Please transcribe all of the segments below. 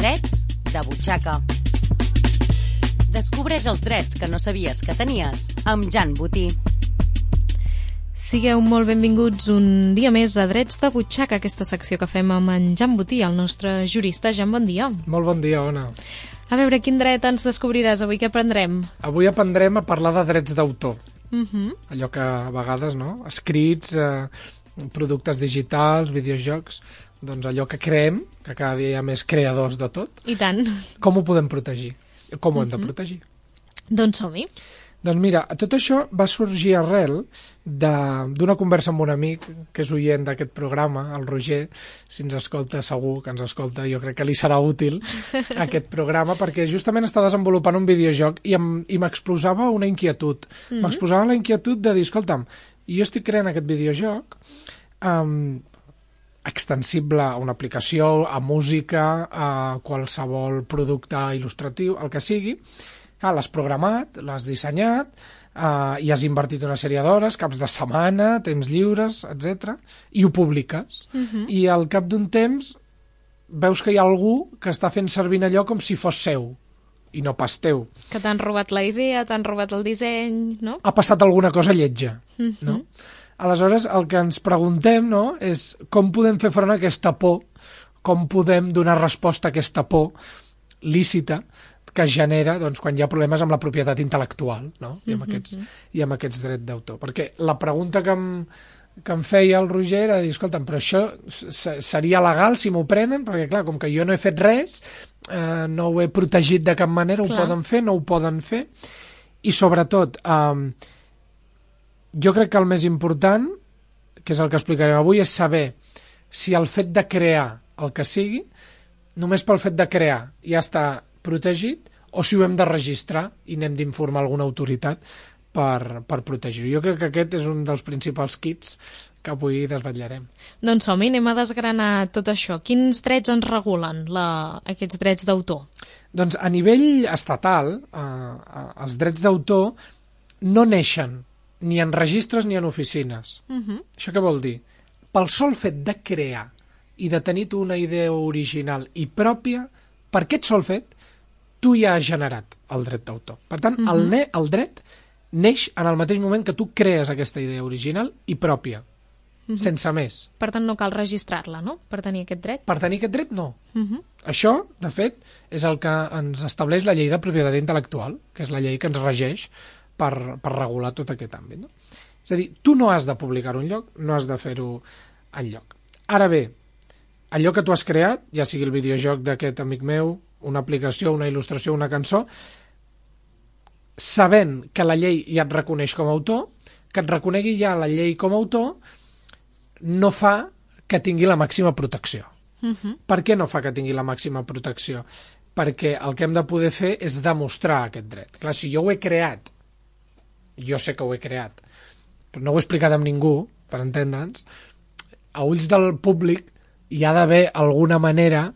Drets de butxaca. Descobreix els drets que no sabies que tenies amb Jan Botí. Sigueu molt benvinguts un dia més a Drets de butxaca, aquesta secció que fem amb en Jan Botí, el nostre jurista. Jan, bon dia. Molt bon dia, Ona. A veure, quin dret ens descobriràs avui? Què aprendrem? Avui aprendrem a parlar de drets d'autor. Uh-huh. Allò que a vegades, no?, escrits, productes digitals, videojocs, doncs allò que creem, que cada dia hi ha més creadors de tot. I tant. Com ho podem protegir? Com ho hem de protegir? Doncs som-hi. Doncs mira, tot això va sorgir arrel d'una conversa amb un amic que és oient d'aquest programa, el Roger. Si ens escolta, segur que ens escolta, jo crec que li serà útil aquest programa, perquè justament està desenvolupant un videojoc i m'exposava una inquietud. M'exposava la inquietud de dir, escolta'm, jo estic creant aquest videojoc extensible a una aplicació, a música, a qualsevol producte il·lustratiu, el que sigui. L'has programat, l'has dissenyat, i has invertit una sèrie d'hores, caps de setmana, temps lliures, etc. I ho publiques. I al cap d'un temps veus que hi ha algú que està fent servir allò com si fos seu i no pas teu. Que t'han robat la idea, t'han robat el disseny, no? Ha passat alguna cosa lletja, no? Aleshores, el que ens preguntem, no?, és com podem fer front a aquesta por, com podem donar resposta a aquesta por lícita que es genera, doncs, quan hi ha problemes amb la propietat intel·lectual, no?, i amb aquests drets d'autor. Perquè la pregunta que em feia el Roger era dir, escolta'm, però això seria legal si m'ho prenen? Perquè, clar, com que jo no he fet res, no ho he protegit de cap manera, ho poden fer, no ho poden fer? I, sobretot, jo crec que el més important, que és el que explicarem avui, és saber si el fet de crear el que sigui, només pel fet de crear ja està protegit, o si ho hem de registrar i n'hem d'informar alguna autoritat per protegir-ho. Jo crec que aquest és un dels principals kits que avui desvetllarem. Doncs som-hi, anem a desgranar tot això. Quins drets ens regulen aquests drets d'autor? Doncs a nivell estatal, els drets d'autor no neixen ni en registres ni en oficines. Això què vol dir? Pel sol fet de crear i de tenir tu una idea original i pròpia, per aquest sol fet, tu ja has generat el dret d'autor. Per tant, el dret neix en el mateix moment que tu crees aquesta idea original i pròpia, sense més. Per tant, no cal registrar-la, no?, per tenir aquest dret? Per tenir aquest dret, no. Això, de fet, és el que ens estableix la llei de propietat intel·lectual, que és la llei que ens regeix per regular tot aquest àmbit, no? És a dir, tu no has de publicar-ho enlloc, no has de fer-ho enlloc. Ara bé, allò que tu has creat, ja sigui el videojoc d'aquest amic meu, una aplicació, una il·lustració, una cançó, sabent que la llei ja et reconeix com a autor, que et reconegui ja la llei com a autor, no fa que tingui la màxima protecció. Per què no fa que tingui la màxima protecció? Perquè el que hem de poder fer és demostrar aquest dret. Clar, si jo ho he creat, jo sé que ho he creat, però no ho he explicat amb ningú, per entendre'ns, a ulls del públic hi ha d'haver alguna manera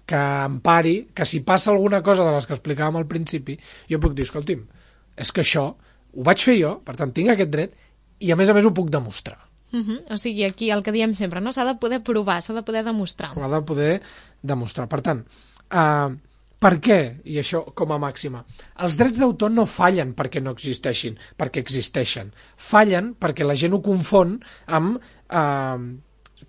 que empari, que si passa alguna cosa de les que explicàvem al principi, jo puc dir, escolti'm, és que això ho vaig fer jo, per tant tinc aquest dret, i a més ho puc demostrar. O sigui, aquí el que diem sempre, no? S'ha de poder provar, s'ha de poder demostrar. Ho ha de poder demostrar. Per tant, per què? I això com a màxima. Els drets d'autor no fallen perquè no existeixin, perquè existeixen. Fallen perquè la gent ho confon amb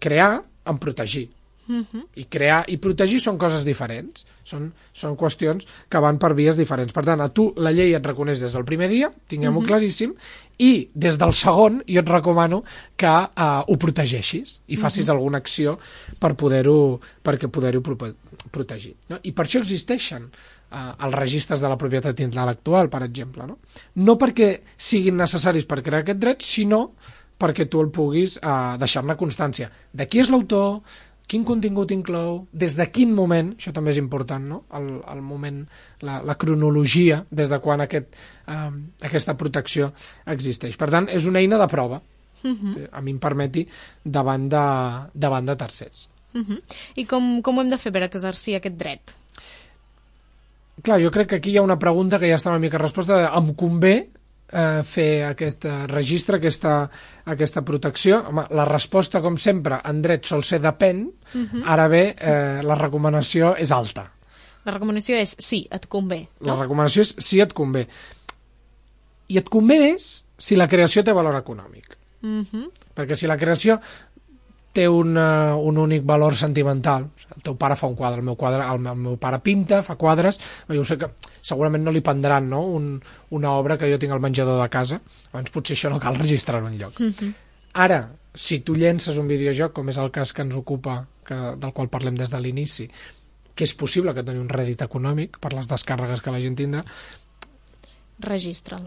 crear, amb protegir. I crear i protegir són coses diferents. Són qüestions que van per vies diferents. Per tant, a tu la llei et reconeix des del primer dia, tinguem-ho claríssim, i des del segon jo et recomano que ho protegeixis i facis alguna acció perquè poder-ho protegir. No? I per això existeixen els registres de la propietat intel·lectual, per exemple. No perquè siguin necessaris per crear aquest dret, sinó perquè tu el puguis deixar-ne constància. De qui és l'autor, quin contingut inclou, des de quin moment, això també és important, no?, el moment, la cronologia, des de quan aquesta protecció existeix. Per tant, és una eina de prova, a mi em permeti, davant de tercers. I com ho hem de fer per exercir aquest dret? Clar, jo crec que aquí hi ha una pregunta que ja està una mica resposta, em convé fer aquest registre, aquesta protecció. Home, la resposta, com sempre, en dret sol ser depèn. Ara bé, la recomanació és alta. La recomanació és sí, et convé. La recomanació és si et convé. I et convé més si la creació té valor econòmic. Perquè si la creació té un únic valor sentimental, el teu pare fa un quadre, el meu pare pinta, fa quadres, jo sé que segurament no li prendran, no? Una obra que jo tinc al menjador de casa, abans potser això no cal registrar-ho enlloc. Ara, si tu llences un videojoc, com és el cas que ens ocupa, del qual parlem des de l'inici, que és possible que doni un rèdit econòmic per les descàrregues que la gent tindrà, registra'l.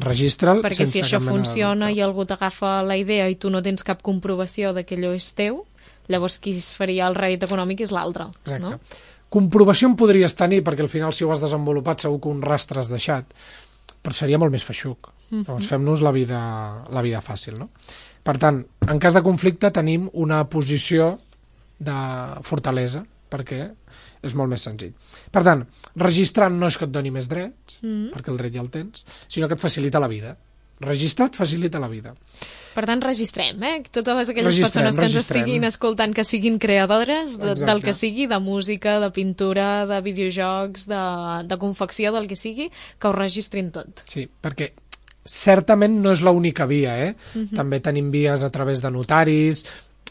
Registra'l perquè sense si això cap mena de funciona dubte. i algú t'agafa la idea i tu no tens cap comprovació de que allò és teu, llavors qui es faria el rèdit econòmic és l'altre. Exacte. No? Comprovació en podries tenir, perquè al final si ho has desenvolupat segur que un rastre has deixat, però seria molt més feixuc. Llavors fem-nos la vida fàcil, no? Per tant, en cas de conflicte tenim una posició de fortalesa, perquè és molt més senzill. Per tant, registrar no és que et doni més drets, perquè el dret ja el tens, sinó que et facilita la vida. Registrar et facilita la vida. Per tant, registrem, totes aquelles persones que ens estiguin escoltant, que siguin creadores del que sigui, de música, de pintura, de videojocs, de confecció, del que sigui, que ho registrin tot. Sí, perquè certament no és l'única via, També tenim vies a través de notaris,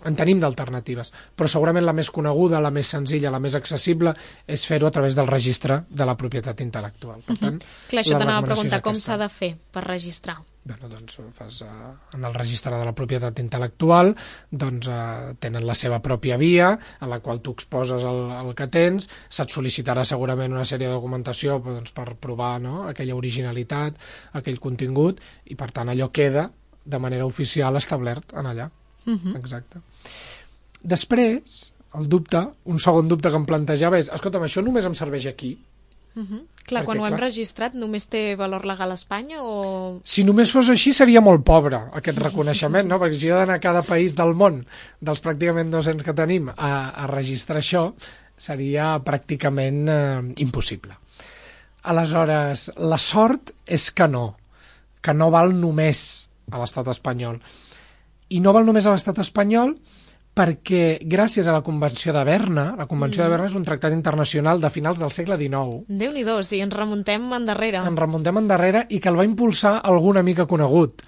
en tenim d'alternatives, però segurament la més coneguda, la més senzilla, la més accessible és fer-ho a través del registre de la propietat intel·lectual. Per tant, clar, això t'anava a preguntar, com s'ha de fer per registrar? Bueno, doncs fas en el registre de la propietat intel·lectual, doncs tenen la seva pròpia via, en la qual tu exposes el que tens, se't sol·licitarà segurament una sèrie de documentació doncs, per provar, no?, aquella originalitat, aquell contingut, i per tant allò queda de manera oficial establert en allà. Exacte. Després, el dubte, un segon dubte que em plantejava és, escolta'm, això només em serveix aquí? Clar, quan ho hem registrat només té valor legal a Espanya o... Si només fos així seria molt pobre aquest reconeixement, no? Perquè si jo he d'anar a cada país del món, dels pràcticament 200 que tenim, a registrar això, seria pràcticament impossible. Aleshores, la sort és que no val només a l'estat espanyol. I no val només a l'estat espanyol perquè gràcies a la Convenció de Berna, la Convenció de Berna és un tractat internacional de finals del segle XIX. Déu-n'hi-do, sí, ens remuntem endarrere. Ens remuntem endarrere i que el va impulsar algun amic conegut.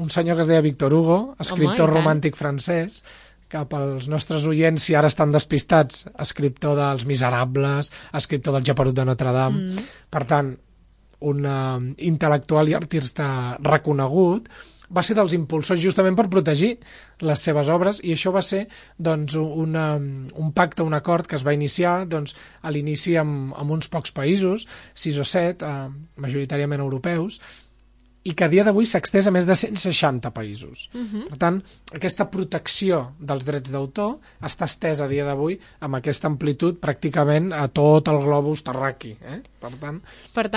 Un senyor que es deia Victor Hugo, escriptor romàntic francès, que pels nostres oients, si ara estan despistats, escriptor dels Miserables, escriptor del Geperut de Notre Dame. Per tant, un intel·lectual i artista reconegut, va ser dels impulsors justament per protegir les seves obres, i això va ser doncs, un pacte, un acord que es va iniciar doncs, a l'inici amb uns pocs països, 6 o 7, majoritàriament europeus, i que a dia d'avui s'ha extès a més de 160 països. Per tant, aquesta protecció dels drets d'autor està estesa a dia d'avui amb aquesta amplitud pràcticament a tot el globus terraqui. Per tant,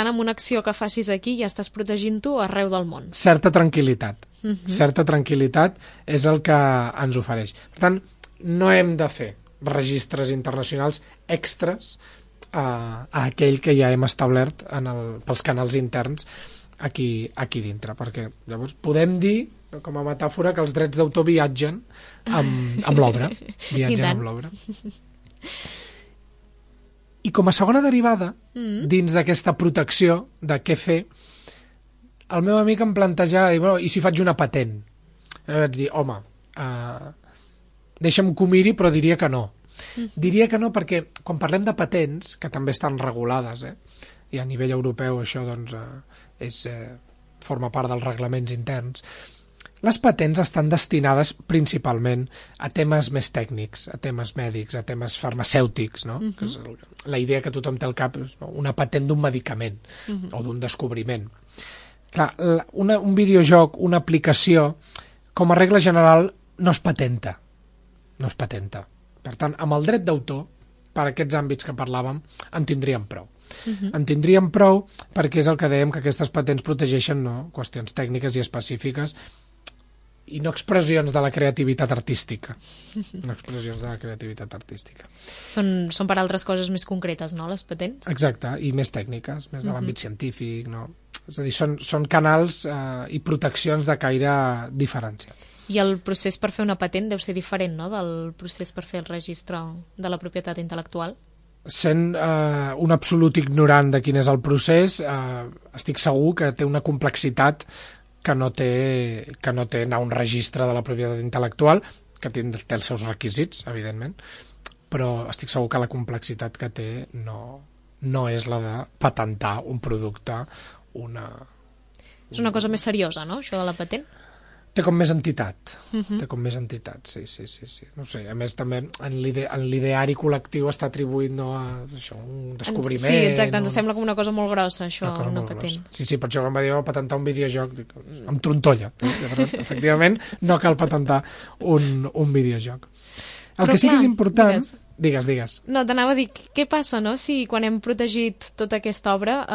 amb una acció que facis aquí ja estàs protegint tu arreu del món. Certa tranquil·litat. Certa tranquil·litat és el que ens ofereix. Per tant, no hem de fer registres internacionals extras a aquell que ja hem establert pels canals interns aquí dintre, perquè llavors podem dir, com a metàfora, que els drets d'autor viatgen amb l'obra. Viatgen amb l'obra. I com a segona derivada, dins d'aquesta protecció de què fer, el meu amic em plantejava, i si faig una patent? Vaig dir, home, deixa'm que ho miri, però diria que no. Diria que no perquè quan parlem de patents, que també estan regulades, i a nivell europeu això doncs, forma part dels reglaments interns, les patents estan destinades principalment a temes més tècnics, a temes mèdics, a temes farmacèutics, no? Que és la idea que tothom té al cap, una patent d'un medicament o d'un descobriment. Clar, un videojoc, una aplicació, com a regla general, no es patenta. No es patenta. Per tant, amb el dret d'autor, per aquests àmbits que parlàvem, en tindríem prou. En tindríem prou perquè és el que dèiem, que aquestes patents protegeixen qüestions tècniques i específiques i no expressions de la creativitat artística. No expressions de la creativitat artística. Són per altres coses més concretes, no, les patents? Exacte, i més tècniques, més de l'àmbit científic, no? És a dir, són canals i proteccions de caire diferenciat. I el procés per fer una patent deu ser diferent, no?, del procés per fer el registre de la propietat intel·lectual? sent un absolut ignorant de quin és el procés, estic segur que té una complexitat que no té anar a un registre de la propietat intel·lectual, que té els seus requisits, evidentment, però estic segur que la complexitat que té no és la de patentar un producte, És una cosa més seriosa, no?, això de la patent? Té com més entitat, sí. No sé, a més també en l'ideari col·lectiu està atribuït a això, un descobriment. Sí, exacte, ens sembla com una cosa molt grossa, això, una patent. Sí, per això quan va dir patentar un videojoc, amb trontolla. Efectivament, no cal patentar un videojoc. El que sí que és important... Digues. No, t'anava a dir, què passa, no?, si quan hem protegit tota aquesta obra,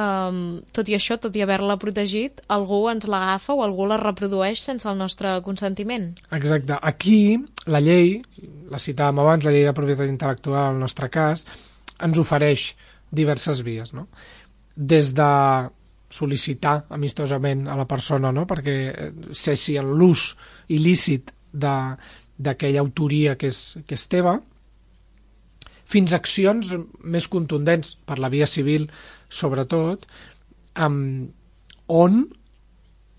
tot i això, tot i haver-la protegit, algú ens l'agafa o algú la reprodueix sense el nostre consentiment? Exacte. Aquí, la llei, la citàvem abans, la llei de propietat intel·lectual, en el nostre cas, ens ofereix diverses vies, no? Des de sol·licitar amistosament a la persona, no?, perquè cessi en l'ús il·lícit d'aquella autoria que és teva, fins a accions més contundents, per la via civil sobretot, on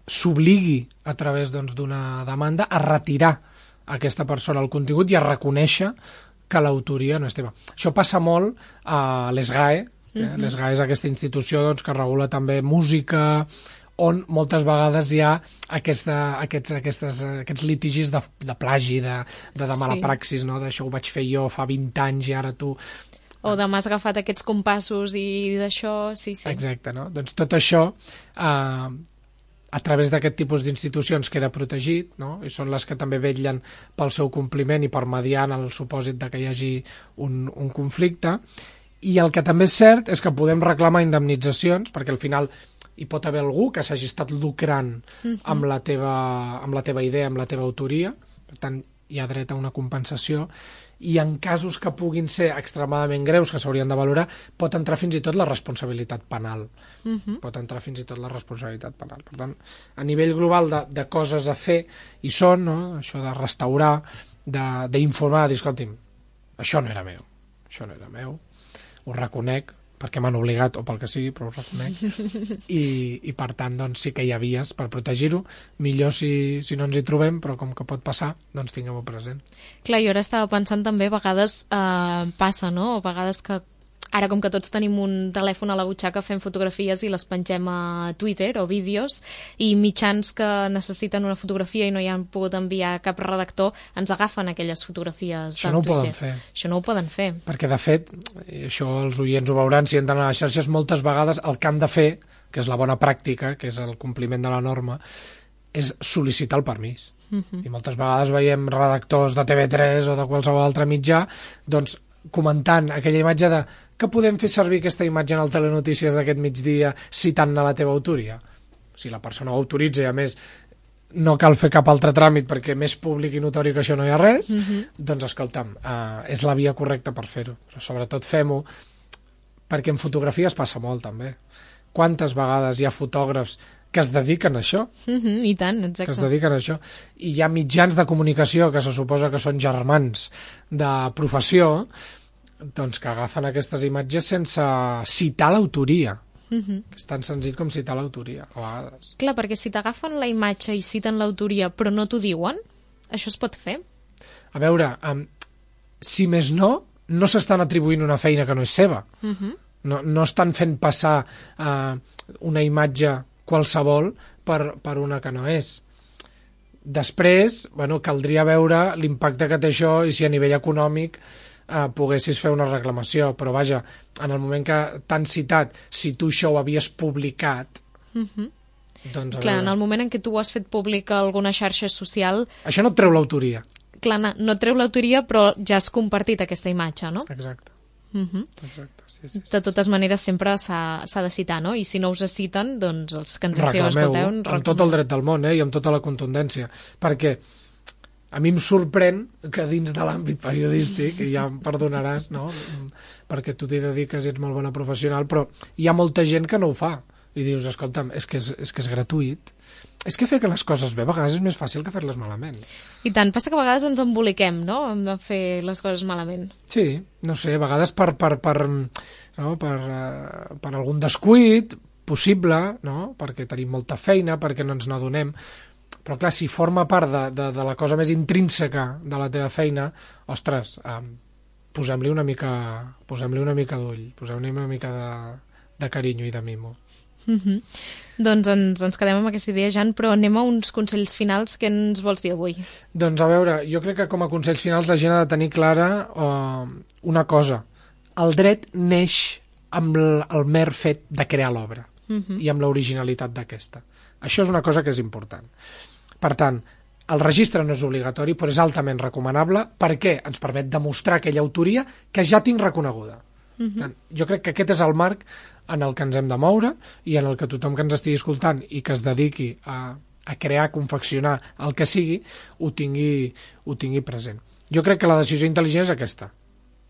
s'obligui a través d'una demanda a retirar a aquesta persona el contingut i a reconèixer que l'autoria no és teva. Això passa molt a l'ESGAE. L'ESGAE és aquesta institució que regula també música, on moltes vegades hi ha aquests litigis de plagi, de mala praxis, no? D'això ho vaig fer jo fa 20 anys i ara tu... O de m'has agafat aquests compassos i d'això, sí. Exacte, no? Doncs tot això, a través d'aquest tipus d'institucions queda protegit, no? I són les que també vetllen pel seu compliment i per mediar en el supòsit de que hi hagi un conflicte. I el que també és cert és que podem reclamar indemnitzacions, perquè al final hi pot haver algú que s'hagi estat lucrant amb la teva idea, amb la teva autoria, per tant hi ha dret a una compensació, i en casos que puguin ser extremadament greus, que s'haurien de valorar, pot entrar fins i tot la responsabilitat penal. Per tant, a nivell global de coses a fer hi són, no? Això de restaurar, d'informar, de dir, escolti'm, això no era meu, ho reconec, perquè m'han obligat o pel que sigui, però ho reconec, i per tant doncs, sí que hi ha vies per protegir-ho, millor si no ens hi trobem, però com que pot passar, doncs tinguem-ho present. Clar, jo ara estava pensant també, a vegades passa, no? A vegades que ara com que tots tenim un telèfon a la butxaca fem fotografies i les pengem a Twitter o vídeos, i mitjans que necessiten una fotografia i no hi han pogut enviar cap redactor ens agafen aquelles fotografies de Twitter. Això no ho poden fer. Perquè de fet, això els oients ho veuran si entren a les xarxes, moltes vegades el que han de fer, que és la bona pràctica, que és el compliment de la norma, és sol·licitar el permís. I moltes vegades veiem redactors de TV3 o de qualsevol altre mitjà doncs comentant aquella imatge de que podem fer servir aquesta imatge en el Telenotícies d'aquest migdia citant-ne la teva autoria. Si la persona ho autoritza i a més no cal fer cap altre tràmit perquè més públic i notori que això no hi ha res, doncs escolta'm, és la via correcta per fer-ho. Però sobretot fem-ho perquè en fotografies passa molt també. Quantes vegades hi ha fotògrafs que es dediquen a això? I tant, exacte. Que es dediquen a això. I hi ha mitjans de comunicació que se suposa que són germans de professió, doncs que agafen aquestes imatges sense citar l'autoria. Que és tan senzill com citar l'autoria, a vegades. Clar, perquè si t'agafen la imatge i citen l'autoria però no t'ho diuen, això es pot fer? A veure, si més no s'estan atribuint una feina que no és seva. No estan fent passar una imatge qualsevol per una que no és. Després, caldria veure l'impacte que té això i si a nivell econòmic poguessis fer una reclamació, però vaja, en el moment que t'han citat, si tu això ho havies publicat, doncs... Clar, en el moment en què tu has fet públic a alguna xarxa social... Això no et treu l'autoria. Clar, no et treu l'autoria, però ja has compartit aquesta imatge, no? Exacte. Exacte, sí. De totes maneres, sempre s'ha de citar, no? I si no us citen, doncs els que ens esteu escolteu... Amb tot el dret del món, i amb tota la contundència, perquè a mi em sorprèn que dins de l'àmbit periodístic, i ja em perdonaràs, no? Perquè tu t'hi dediques i ets molt bona professional, però hi ha molta gent que no ho fa, i dius, escolta'm, és que és gratuït. És que fer que les coses bé a vegades és més fàcil que fer-les malament. I tant, passa que a vegades ens emboliquem, no?, amb fer les coses malament. Sí, no sé, a vegades per algun descuit possible, no?, perquè tenim molta feina, perquè no ens n'adonem, però clar, si forma part de la cosa més intrínseca de la teva feina, ostres, posem-li una mica d'ull, posem-li una mica de carinyo i de mimo. Doncs ens quedem amb aquesta idea, Jan, però anem a uns consells finals. Què ens vols dir avui? Doncs a veure, jo crec que com a consells finals la gent ha de tenir clara una cosa. El dret neix amb el mer fet de crear l'obra i amb l'originalitat d'aquesta. Això és una cosa que és important. Per tant, el registre no és obligatori, però és altament recomanable perquè ens permet demostrar aquella autoria que ja tinc reconeguda. Jo crec que aquest és el marc en el que ens hem de moure i en el que tothom que ens estigui escoltant i que es dediqui a crear, a confeccionar el que sigui, ho tingui present. Jo crec que la decisió intel·ligent és aquesta,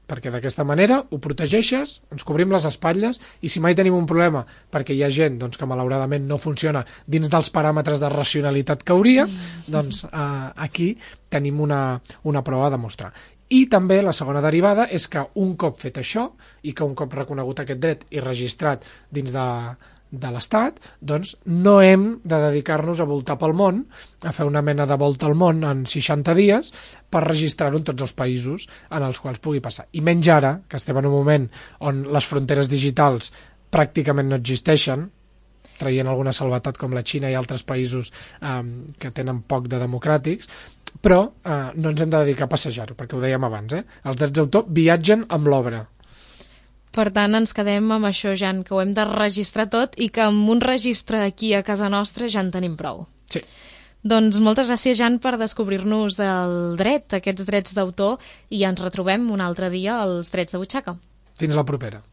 perquè d'aquesta manera ho protegeixes, ens cobrim les espatlles i si mai tenim un problema perquè hi ha gent doncs, que malauradament no funciona dins dels paràmetres de racionalitat que hauria, doncs aquí tenim una prova a demostrar. I també la segona derivada és que un cop fet això i que un cop reconegut aquest dret i registrat dins de l'Estat, doncs no hem de dedicar-nos a voltar pel món, a fer una mena de volta al món en 60 dies per registrar-ho en tots els països en els quals pugui passar. I menys ara, que estem en un moment on les fronteres digitals pràcticament no existeixen, traient alguna salvetat com la Xina i altres països que tenen poc de democràtics, però no ens hem de dedicar a passejar-ho, perquè ho dèiem abans, els drets d'autor viatgen amb l'obra. Per tant, ens quedem amb això, Jan, que ho hem de registrar tot i que amb un registre aquí a casa nostra ja en tenim prou. Sí. Doncs moltes gràcies, Jan, per descobrir-nos el dret, aquests drets d'autor, i ens retrobem un altre dia als Drets de Butxaca. Fins la propera.